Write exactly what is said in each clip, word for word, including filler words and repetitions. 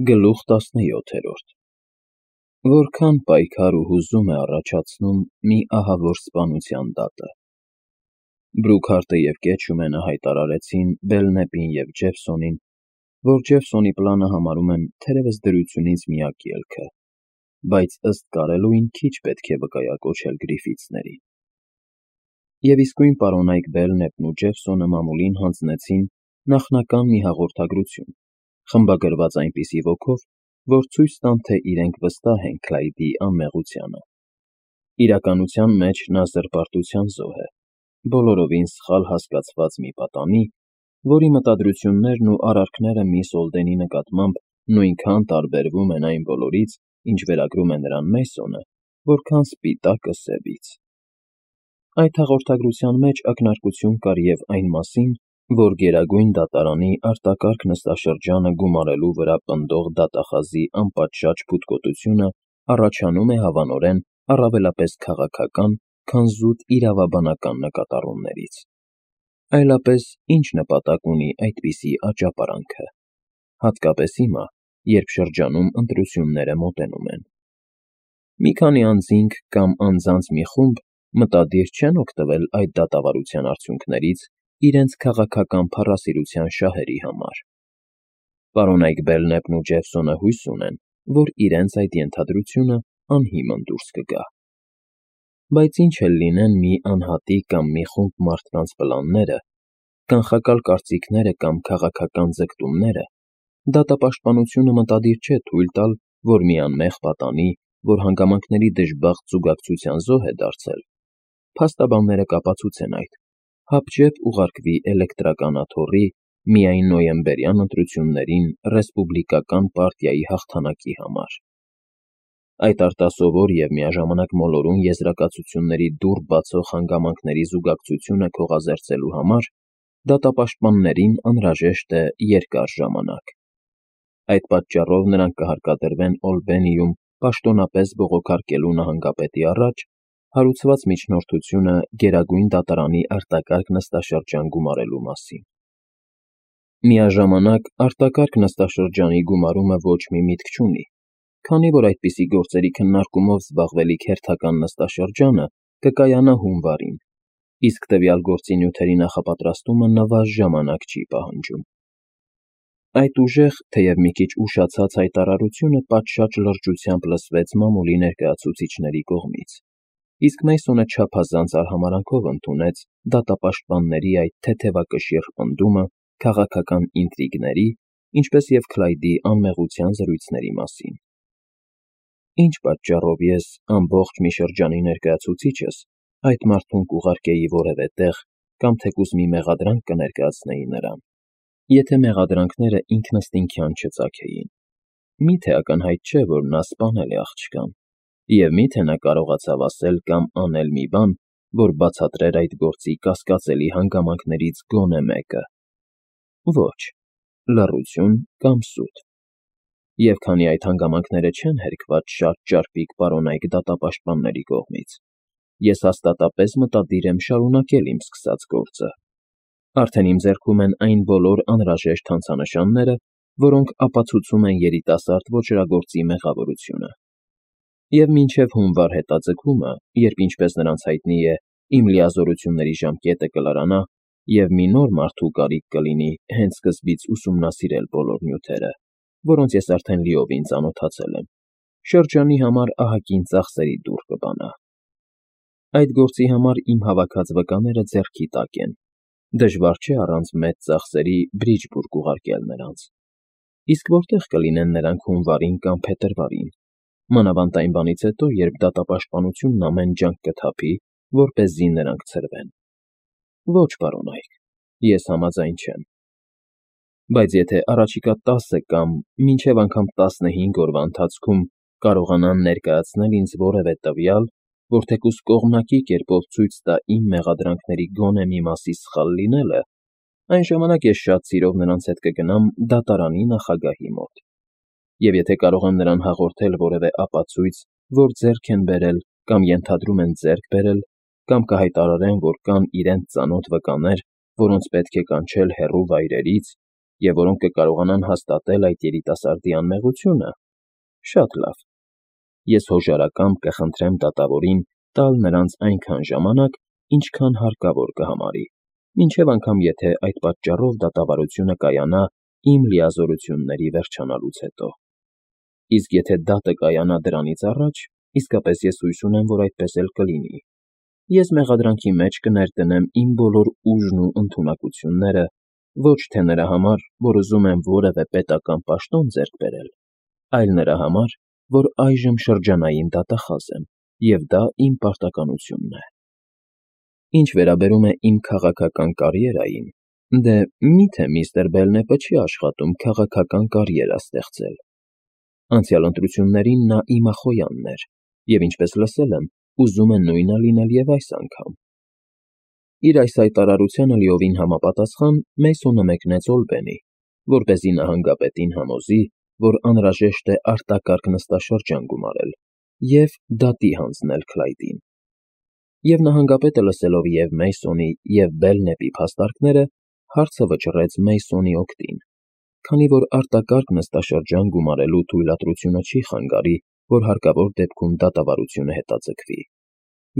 Գլուխ տասնյոթերորդ Որքան պայքար ու հուզում է առաջացնում մի ահավոր սպանության դատը։ Բրուքհարտը և Կեչումենը հայտարարեցին Բելնեպին և Ջեֆսոնին, որ Ջեֆսոնի պլանը համարում են թերևս դրությունից միակ ելքը, բայց ըստ կարելույն քիչ պետք է վկայակոչել Գրիֆիթսներին։ Եվ իսկույն պարոնայք Բելնեպն ու Ջեֆսոնը մամուլին հանձնեցին նախնական մի հաղորդագրություն, խմբագրված այնպիսի ոգով, որ ցույց տան, թե իրենք վստահ են Քլայդի անմեղությանը։ Իրականության մեջ նա զրպարտության զոհ է, բոլորովին սխալ հասկացված մի պատանի, որի մտադրություններն ու արարքները միս Օլդենի նկատմամբ նույնքան տարբերվում են այն բոլորից, ինչ վերագրում է նրան Մեյսոնը, որքան սպիտակը սևից։ Այդ հաղորդագրության մեջ ակնարկություն կար և այն մասին, որ Գերագույն դատարանի արտակարգ նստաշրջանը գումարելու վրա պնդող դատախազի անպատշաճ փութկոտությունը առաջանում է հավանորեն առավելապես քաղաքական, քան զուտ իրավաբանական նկատառումներից։ Այլապես ի՞նչ նպատակ ունի այդպիսի աճապարանքը, հատկապես հիմա, երբ շրջանում ընտրությունները մոտենում են։ Մի քանի անձինք կամ անձանց մի խումբ մտադիր չեն օգտվել այդ դատավարության արդյունքներից իրենց քաղաքական փառասիրության շահերի համար։ Պարոնայք Բելնեպն ու Ջեֆսոնը հույս ունեն, որ իրենց այդ ենթադրությունը անհիմն դուրս կգա։ Բայց ինչ էլ լինեն մի անհատի կամ մի խումբ մարդկանց պլանները, կանխակալ կարծիքները կամ քաղաքական ձգտումները, դատապաշտպանությունը մտադիր չէ թույլ տալ, որ մի անմեղ պատանի, որ հանգամանքների դժբախտ զուգակցության զոհ է դարձել, փաստաբանները կապացուցեն այդ, հապճեպ ուղարկվի էլեկտրական աթոռի միայն նոյեմբերյան ընտրություններին ռեսպուբլիկական պարտիայի հաղթանակի համար։ Այդ արտասովոր և միաժամանակ մոլորուն եզրակացությունների դուռ բացող հանգամանքների զուգակցությունը քողազերծելու համար դատապաշտպաններին անհրաժեշտ է երկար ժամանակ։ Այդ պատճառով նրանք կհարկադրվեն Օլբենիում պաշտոնապես բողոքարկելու նահանգապետի առաջ հարուցված միջնորդությունը Գերագույն դատարանի արտակարգ նստաշրջան գումարելու մասին։ Միաժամանակ արտակարգ նստաշրջանի գումարումը ոչ մի միտք չունի, քանի որ այդպիսի գործերի քննարկումով զբաղվելիք հերթական նստաշրջանը կկայանա հունվարին, իսկ տվյալ գործի նյութերի նախապատրաստումը նվազ ժամանակ չի պահանջում։ Այդ ուժեղ, թեև մի քիչ ուշացած հայտարարությունը պատշաճ լրջությամբ լսվեց մամուլի ներկայացուցիչների կողմից, իսկ Մեյսոնը չափազանց արհամարհանքով ընդունեց դատապաշտպանների այդ թեթևակշիռ պնդումը քաղաքական ինտրիգների, ինչպես և Քլայդի անմեղության զրույցների մասին։ Ինչ պատճառով ես ամբողջ մի շրջանի ներկայացուցիչս այդ մարդուն կուղարկեի որևէ տեղ կամ թեկուզ մի մեղադրանք կներկայացնեի նրան, եթե մեղադրանքները ինքնըստինքյան չծագեին։ Մի՞թե ակնհայտ չէ, որ նա սպանել է աղջկան, և մի՞թե նա կարողացավ ասել կամ անել մի բան, որ բացատրեր այդ գործի կասկածելի հանգամանքներից գոնե մեկը։ Ոչ, լռություն կամ սուտ։ Եվ քանի այդ հանգամանքները չեն հերքված շատ ճարպիկ պարոնայք դատապաշտպանների կողմից, ես հաստատապես մտադիր եմ շարունակել իմ սկսած գործը։ Արդեն իմ ձեռքում են այն բոլոր անհրաժեշտ հանցանշանները, որոնք ապացուցում են երիտասարդ ոճրագործի մեղավորությունը։ Եվ մինչև հունվար հետաձգումը, երբ ինչպես նրանց հայտնի է, իմ լիազորությունների ժամկետը կլրանա, և մի նոր մարդու կարիք կլինի հենց սկզբից ուսումնասիրել բոլոր նյութերը, որոնց ես արդեն լիովին ծանոթացել եմ, շրջանի համար ահագին ծախսերի դուռ կբանա։ Այդ գործի համար իմ հավաքած վկաները ձեռքի տակ են, դժվար չէ առանց մեծ ծախսերի Բրիջբուրգ ուղարկել նրանց։ Իսկ որտե՞ղ կլինեն նրանք հունվարին կամ փետրվարին, մանավանդ այն բանից հետո, երբ դատապաշտպանությունն ամեն ջանք կթափի, որպեսզի նրանք ցրվեն։ Ոչ, պարոնայք, ես համաձայն չեմ։ Բայց եթե առաջիկա տասը կամ մինչև անգամ տասնհինգ օրվա ընթացքում կարողանան ներկայացնել ինձ որևէ տվյալ, որ թեկուզ կողմնակի կերպով ցույց տա իմ մեղադրանքների գոնե մի մասի սխալ լինելը, այն ժամանակ ես շատ սիրով նրանց հետ կգնամ դատարանի նախագահի մոտ։ Եվ եթե կարող եմ նրան հաղորդել որևէ ապացույց, որ ձեռք են բերել կամ ենթադրում են ձեռք բերել, կամ կհայտարարեն, որ կան իրենց ծանոթ վկաներ, որոնց պետք է կանչել հեռու վայրերից, և որոնք կկարողանան հաստատել այդ երիտասարդի անմեղությունը։ Շատ լավ։ Ես հոժարակամբ կխնդրեմ դատավորին տալ նրանց այնքան ժամանակ, ինչքան հարկավոր կհամարի, մինչև անգամ եթե այդ պատճառով դատավարությունը կայանա իմ լիազորությունների վերջանալուց հետո։ Իսկ եթե դատը կայանա դրանից առաջ, իսկապես ես հույս ունեմ, որ այդպես էլ կլինի։ Ես մեղադրանքի մեջ կներդնեմ իմ բոլոր ուժն ու ընդունակությունները, ոչ թե նրա համար, որ ուզում եմ որևէ պետական պաշտոն ձեռք բերել, այլ նրա համար, որ այժմ շրջանային դատախազ եմ, և դա իմ պարտականությունն է։ Ինչ վերաբերում է իմ քաղաքական կարիերային, դե մի՞թե միստր Բելնեպը չի աշխատում քաղաքական կարիերա ստեղծել։ Անցյալ ընտրություններին նա իմախոյանն էր, և ինչպես լսել եմ, ուզում է նույնը լինել և այս անգամ։ Իր այս հայտարարությանը լիովին համապատասխան Մեյսոնը մեկնեց Օլբենի, որպեսզի նահանգապետին համոզի, որ անհրաժեշտ է արտակարգ նստաշրջան գումարել և դատի հանձնել Քլայդին։ Եվ նահանգապետը լսելով և Մեյսոնի, և Բելնեպի փաստարկները, հարցը վճռեց Մեյսոնի օգտին, քանի որ արտակարգ նստաշրջան գումարելու թույլատրությունը չի խանգարի, որ հարկավոր դեպքում դատավարությունը հետաձգվի,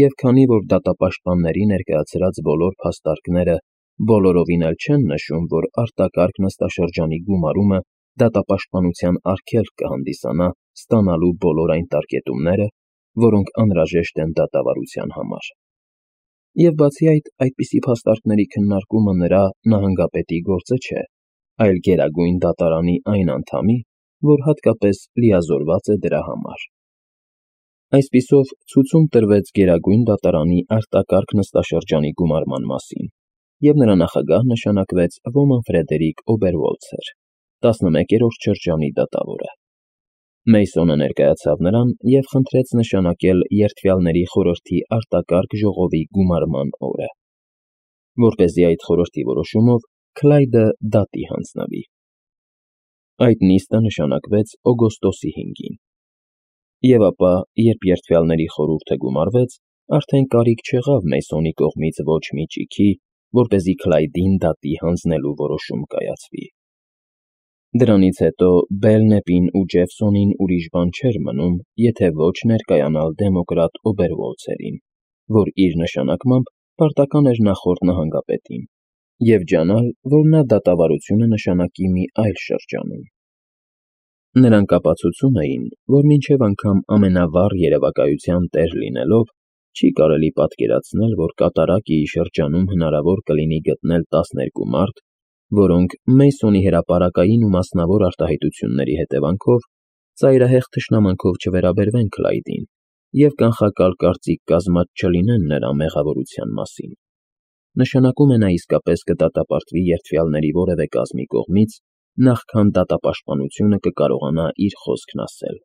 և քանի որ դատապաշտպանների ներկայացրած բոլոր փաստարկները բոլորովին էլ չեն նշում, որ արտակարգ նստաշրջանի գումարումը դատապաշտպանության արգելք կհանդիսանա ստանալու բոլոր այն տարկետումները, որոնք անհրաժեշտ են դատավարության համար։ Եվ բացի այդ, այդպիսի փաստարկների քննարկումը նրա՝ նահանգապետի գործը չէ, այլ Գերագույն Դատարանի այն անդամի, որ հատկապես լիազորված է դրա համար։ Այսպիսով, ցուցում տրվեց Գերագույն դատարանի արտակարգ նստաշրջանի գումարման մասին, և նրա նախագահ նշանակվեց ոմն Ֆրեդերիկ Օբերվոլցեր, տասնմեկերորդ շրջանի դատավորը։ Մեյսոնը ներկայացավ նրան և խնդրեց նշանակել Երդվյալների խորհրդի արտակարգ ժողովի գումարման օրը, որպեսզի այդ խորհրդի որոշումով Քլայդը դատի հանձնվի։ Այդ նիստը նշանակվեց օգոստոսի հինգին։ Եվ ապա, երբ Երդվյալների խորհուրդը գումարվեց, արդեն կարիք չեղավ Մեյսոնի կողմից ոչ մի ճիգի, որպեսզի Քլայդին դատի հանձնելու որոշում կայացվի։ Դրանից հետո Բելնեպին ու Ջեֆսոնին ուրիշ բան չէր մնում, եթե ոչ ներկայանալ դեմոկրատ Օբերվոլցերին, որ իր նշանակմամբ պարտական էր նախորդ նահանգապետին, և ջանալ, որ նա դատավարությունը նշանակի մի այլ շրջանում։ Նրանք ապացուցում էին, որ մինչև անգամ ամենավառ երևակայության տեր լինելով, չի կարելի պատկերացնել, որ կատարակիի շրջանում հնարավոր կլինի գտնել տասներկու մարդ, որոնք Մեյսոնի հրապարակային ու մասնավոր արտահայտությունների հետևանքով ծայրահեղ թշնամանքով չվերաբերվեն Քլայդին և կանխակալ կարծիք կազմած չլինեն նրա մեղավորության մասին։ Նշանակում է նա իսկապես կդատապարտվի երդվյալների որևէ կազմի կողմից, նախքան դատապաշտպանությունը կկարողանա իր խոսքն ասել։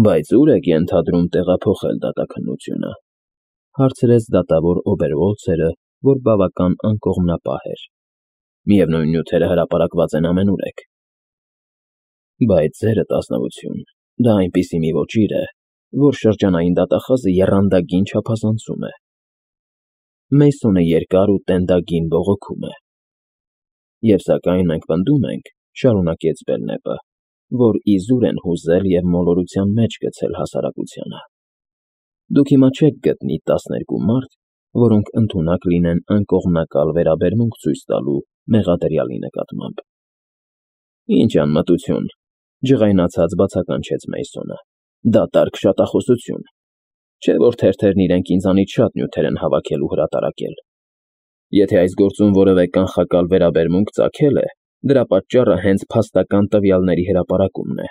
Բայց ո՞ւր եք ենթադրում տեղափոխել դատաքննությունը, հարցրեց դատավոր Օբերվոլցերը, որ բավական անկողմնապահ էր։ Միևնույն նյութերը հրապարակված են ամենուրեք։ Բայց ձերդ, ազնվություն, դա այնպիսի մի ոճիր է, որ շրջանային դատախազը եռանդագին չափազանցում է։ Մեյսոնը երկար ու տենդագին բողոքում է։ Եվ սակայն մենք պնդում ենք, շարունակեց Բելնեպը, որ իզուր են հուզել և մոլորության մեջ գցել հասարակությանը։ Դուք հիմա չեք գտնի տասներկու մարդ, որոնք ընդունակ լինեն անկողմնակալ վերաբերմունք ցույց տալու մեղադրյալի նկատմամբ։ Ինչ անմտություն, ջղայնացած բացականչեց Մեյսոնը։ Դատարկ շատախոսություն։ Չէ՞ որ թերթերն իրենք ինձանից շատ նյութեր են հավաքել ու հրատարակել։ Եթե այս գործում որևէ կանխակալ վերաբերմունք ծագել է, դրա պատճառը հենց փաստական տվյալների հրապարակումն է։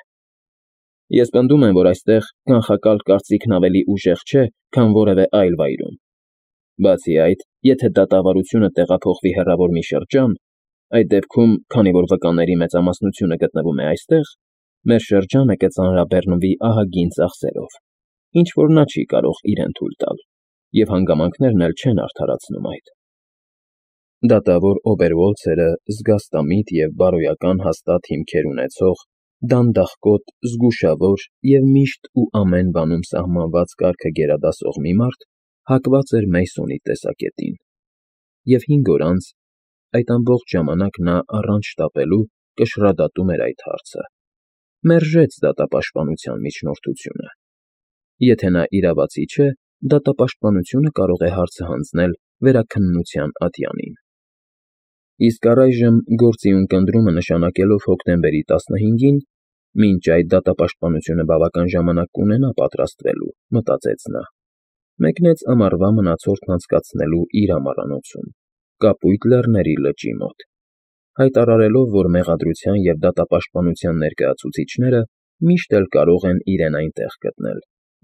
Ես պնդում եմ, որ այստեղ կանխակալ կարծիքն ավելի ուժեղ չէ, քան որևէ այլ վայրում։ Բացի այդ, եթե դատավարությունը տեղափոխվի հեռավոր մի շրջան, այդ դեպքում, քանի որ վկաների մեծամասնությունը գտնվում է այստեղ, մեր շրջանը կծանրաբեռնվի ահագին ծախսերով, ինչ որ նա չի կարող իրեն թույլ տալ, և հանգամանքներն էլ չեն արդարացնում այդ։ Դատավոր Օբերվոլցերը զգաստամիտ և բարոյական հաստատ հիմքեր ունեցող, դանդաղկոտ, զգուշավոր և միշտ ու ամեն բանում սահմանված կարգը գերադասող մի մարդ հակված էր Մեյսոնի տեսակետին, և հինգ օր անց, այդ ամբողջ ժամանակ նա առանց շտապելու կշռադատում էր այդ հարցը, մերժեց դատապաշտպանության միջնորդությունը։ Եթե նա իրավացի չէ, դատապաշտպանությունը կարող է հարցը հանձնել վերաքննության ատյանին։ Իսկ առայժմ գործի ունկնդրումը նշանակելով հոկտեմբերի տասնհինգին, մինչ այդ դատապաշտպանությունը բավական ժամանակ կունենա պատրաստվելու, մտածեց նա, մեկնեց ամառվա մնացորդն անցկացնելու իր ամառանոցում, Կապույտ Լեռների լճի մոտ, հայտարարելով, որ մեղադրության և դատապաշտպանության ներկայացուցիչները միշտ էլ կարող են իրեն այնտեղ գտնել,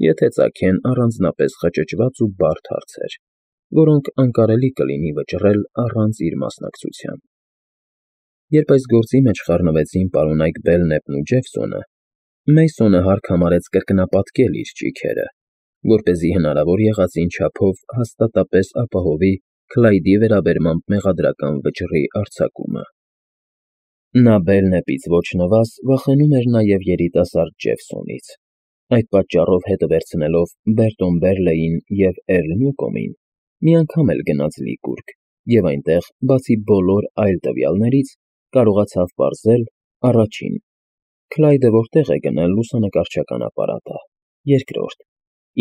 եթե ծագեն առանձնապես խճճված ու բարդ հարցեր, որոնք անկարելի կլինի վճռել առանց իր մասնակցության։ Երբ այս գործի մեջ խառնվեցին պարոնայք Բելնեպն ու Ջեֆսոնը, Մեյսոնը հարկ համարեց կրկնապատկել իր ճիգերը, որպեսզի հնարավոր եղածին չափով հաստատապես ապահովի Քլայդի վերաբերմամբ մեղադրական վճռի արձակումը։ Նա Բելնեպից ոչ նվազ վախենում էր նաև երիտասարդ Ջեֆսոնից։ Այդ պատճառով հետը վերցնելով Բերտոն Բերլեյին և Էրլ Նյուկոմին, մի անգամ էլ գնաց Լիկուրգ և այնտեղ, բացի բոլոր այլ տվյալներից, կարողացավ պարզել. առաջին. Քլայդը որտեղ է գնել լուսանկարչական ապարատը, երկրորդ.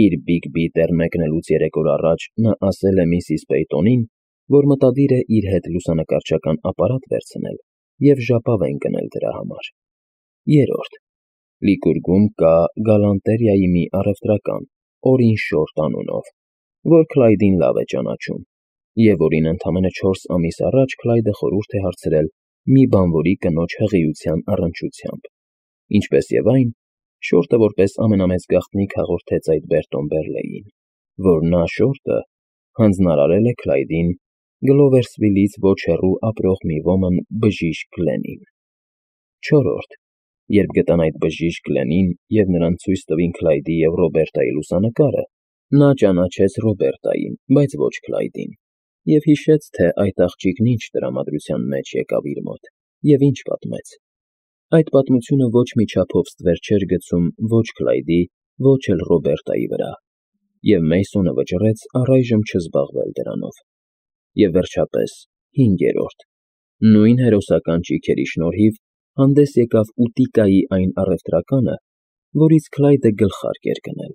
իր Բիգբի տեղ մեկնելուց երեք օր առաջ նա ասել է միսիս Պեյտոնին, որ մտադիր է իր հետ լուսանկարչական ապարատ վերցնել և ժապավեն գնել դրա համար, երրորդ. Լիկուրգում կա Գալանտերիայի մի առևտրական, Օրին Շորտ անունով, որ Քլայդին լավ է ճանաչում, և որին ընդամենը չորս ամիս առաջ Քլայդը խորհուրդ է հարցրել մի բանվորի կնոջ հղիության առնչությամբ, ինչպես և այն, Շորտը որպես ամենամեծ գաղտնիք հաղորդեց այդ Բերտոն Բերլեյին, որ նա՝ Շորտը, հանձնարարել է Քլայդին Գլովերսվիլից ոչ հեռու ապրող մի ոմն բժիշկ Գլենին, չորրորդ. Երբ գտան այդ բժիշկ Գլենին և նրան ցույց տվին Քլայդի և Ռոբերտայի լուսանկարը, նա ճանաչեց Ռոբերտային, բայց ոչ Քլայդին, և հիշեց, թե այդ աղջիկն ինչ տրամադրության մեջ եկավ իր մոտ և ինչ պատմեց։ Այդ պատմությունը ոչ մի չափով ստվեր չէր գցում ոչ Քլայդի, ոչ էլ Ռոբերտայի վրա, և Մեյսոնը վճռեց առայժմ չզբաղվել դրանով։ Եվ վերջապես, հինգերորդ. նույն հերոսական ճիգերի շնորհիվ հանդես եկավ Ուտիկայի այն առևտրականը, որից Քլայդը գլխարկ էր գնել։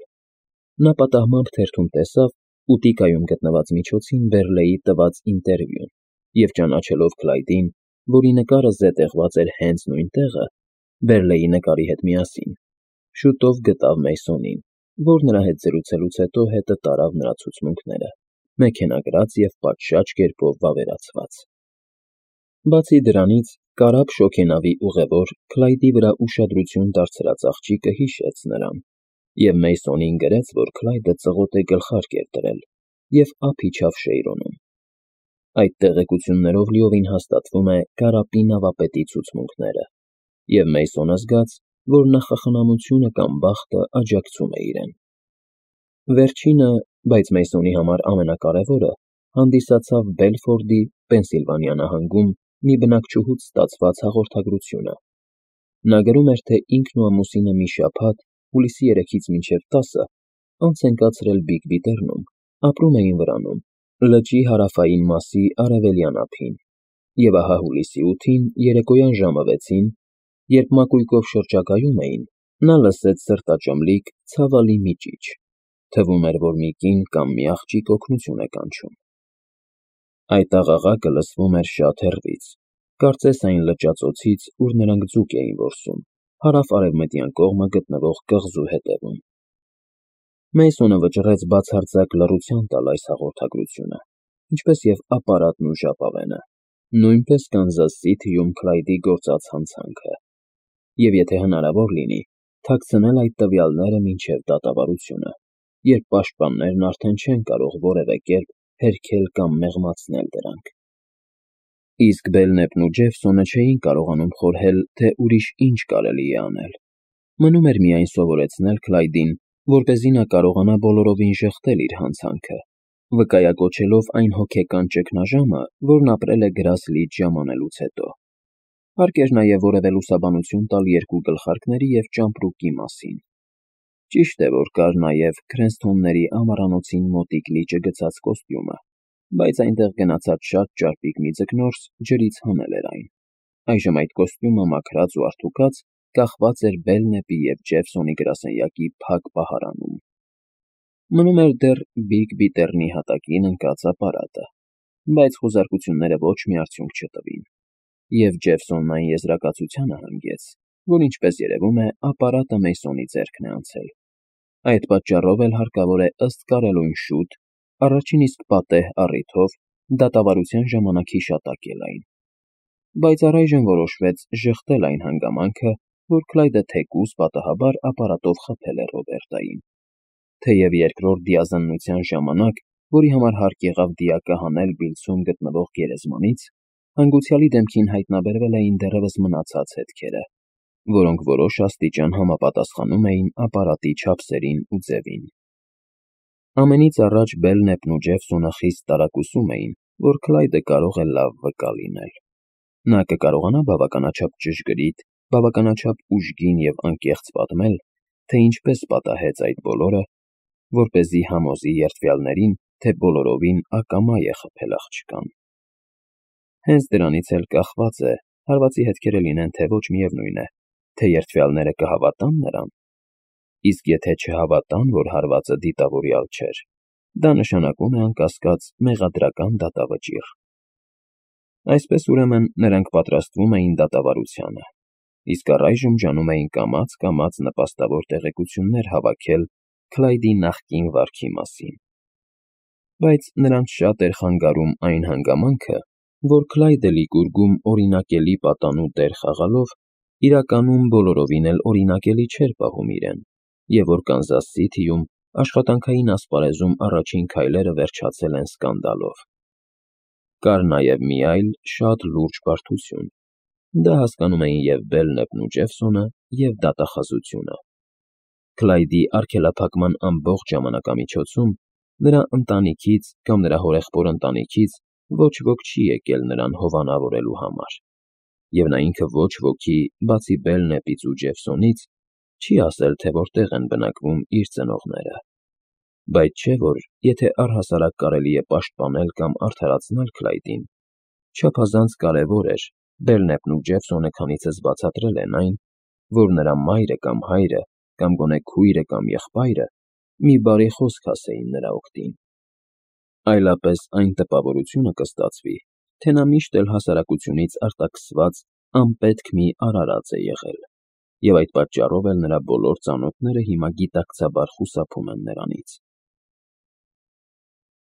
Նա պատահմամբ թերթում տեսավ Ուտիկայում գտնված միջոցին Բերլեյի տված ինտերվյուն և ճանաչելով Քլայդին, որի նկարը զետեղված էր հենց նույն տեղը, Բերլեյի նկարի հետ միասին, շուտով գտավ Մեյսոնին, որ նրա հետ զրուցելուց հետո հետը տարավ նրա ցուցմունքները, մեքենագրած և պատշաճ կերպով վավերացված։ Բացի դրանից, կարապ շոգենավի ուղևոր Քլայդի վրա ուշադրություն դարձրած աղջիկը հիշեց նրան, և Մեյսոնին գրեց, որ Քլայդը ծղոտ է գլխարկ էր դրել և ափ իջավ Շեյրոնում։ Այդ տեղեկություններով լիովին հաստատվում է կարապի նավապետի ցուցմունքները, և Մեյսոնը զգաց, որ նախախնամությունը կամ բախտը աջակցում է իրեն։ Վերջինը, բայց Մեյսոնի համար ամենակարևորը, հանդիսացավ Բելֆորդի, Պենսիլվանիա նահանգում մի բնակչուհուց ստացված հաղորդագրությունը։ Նա գրում էր, թե ինքն ու ամուսինը մի շաբաթ, հուլիսի երեքից մինչև տասը, անց են կացրել Բիգբի լեռնում, ապրում էին վրանում, լճի հարավային մասի արևելյան ափին, և ահա հուլիսի ութին երեկոյան ժամը վեցին, երբ մակույկով շրջագայում էին, նա լսեց սրտաճմլիկ, ցավալի մի ճիչ, թվում էր, որ մի կին կամ մի աղջիկ օգնություն է կանչում։ Այդ աղաղակը լսվում էր շատ հեռվից, կարծես այն լճածոցից, ուր նրանք ձուկ էին որսում, հարավ֊արևմտյան կողմը գտնվող կղզու հետևում։ Մեյսոնը վճռեց բացարձակ լռության տալ այս հաղորդագրությունը, ինչպես և ապարատն ու ժապավենը, նույնպես Կանզաս Սիթիում Քլայդի գործած հանցանքը, և եթե հնարավոր լինի, թաքցնել այդ տվյալները մինչև դատավարությունը, երբ պաշտպաններն արդեն չեն կարող որևէ կերպ հերքել կամ մեղմացնել դրանք։ Իսկ Բելնեպն ու Ջեֆսոնը չէին կարողանում խորհել, թե ուրիշ ինչ կարելի է անել։ Մնում էր միայն սովորեցնել Քլայդին, որպեսզի նա կարողանա բոլորովին ժխտել իր հանցանքը, վկայակոչելով այն հոգեկան ճգնաժամը, որն ապրել է Գրասլիջ ժամանելուց հետո։ Հարկ էր նաև որևէ լուսաբանություն տալ երկու գլխարկների և ճամպրուկի մասին։ Ճիշտ է, որ կար նաև Քրենսթոնների ամառանոցին մոտիկ լիճը գցած կոստյումը, բայց այնտեղ գնացած շատ ճարպիկ մի ձկնորս ջրից հանել էր այն։ Այժմ այդ կոստյումը մաքրած ու արդուկած կախված էր Բելնեպի և Ջեֆսոնի գրասենյակի փակ պահարանում։ Մնում էր դեռ Բիգ Բիթեռնի հատակին ընկած ապարատը, բայց խուզարկությունները ոչ մի արդյունք չտվին, և Ջեֆսոնն այն եզրակացությանը հանգեց, որ ինչպես երևում է, ապարատը Մեյսոնի ձեռքն է անցել։ Այդ պատճառով էլ հարկավոր է ըստ կարելույն շուտ, առաջին իսկ պատեհ առիթով դատավարության ժամանակ հիշատակել այն։ Բայց առայժմ որոշվեց ժխտել այն հանգամանքը, որ Քլայդը թեկուզ պատահաբար ապարատով խփել է Ռոբերտային։ Թեև երկրորդ դիազննության ժամանակ, որի համար հարկ եղավ դիակը հանել Բիլլսում գտնվող գերեզմանից, հանգուցյալի դեմքին հայտնաբերվել էին դեռևս մնացած հետքերը, որոնք որոշ աստիճան համապատասխանում էին ապարատի չափսերին ու ձևին։ Ամենից առաջ Բելնեպն ու Ջեֆսոնը խիստ տարակուսում էին, որ Քլայդը կարող է լավ վկա լինել։ Նա կկարողանա բավականաչափ ճշգրիտ, բավականաչափ ուժգին և անկեղծ պատմել, թե ինչպես պատահեց այդ բոլորը, որպեսզի համոզի երդվյալներին, թե բոլորովին ակամա է խփել աղջկան։ Հենց դրանից էլ կախված է, հարվածի հետքերը լինեն թե ոչ, միևնույն է, թե երդվյալները կհավատա՞ն նրան։ Իսկ եթե չհավատան, որ հարվածը դիտավորյալ չէր, դա նշանակում է անկասկած մեղադրական դատավճիռ։ Այսպես, ուրեմն, նրանք պատրաստվում էին դատավարությանը, իսկ առայժմ ջանում էին կամաց-կամաց նպաստավոր տեղեկություններ հավաքել Քլայդի նախկին վարքի մասին։ Բայց նրանց շատ էր խանգարում այն հանգամանքը, որ Քլայդը Լիկուրգում օրինակելի պատանու դեր խաղալով իրականում բոլորովին էլ օրինակելի չէր պահում իրեն, և որ Կանզաս Սիթիում աշխատանքային ասպարեզում առաջին քայլերը վերջացել են սկանդալով։ Կար նաև մի այլ, շատ լուրջ բարդություն. դա հասկանում էին և Բելնեպն ու Ջեֆսոնը, և դատախազությունը։ Քլայդի արգելափակման ամբողջ ժամանակամիջոցում նրա ընտանիքից կամ նրա հորեղբոր ընտանիքից ոչ ոք չի եկել նրան հովանավորելու համար, և նա ինքը ոչ ոքի, բացի Բելնեպից ու Ջեֆսոնից, չի ասել, թե որտեղ են բնակվում իր ծնողները։ Բայց չէ՞ որ, եթե առհասարակ կարելի է պաշտպանել կամ արդարացնել Քլայդին, չափազանց կարևոր էր, Բելնեպն ու Ջեֆսոնը քանիցս բացատրել են այն, որ նրա մայրը կամ հայրը, կամ գոնե քույրը կամ եղբայրը մի բարի խոսք ասեին նրա օգտին։ Այլապես այն տպավորությունը կստացվի, թե նա միշտ էլ հասարակությունից արտաքսված անպետք մի արարած է եղել, և այդ պատճառով էլ նրա բոլոր ծանոթները հիմա գիտակցաբար խուսափում են նրանից։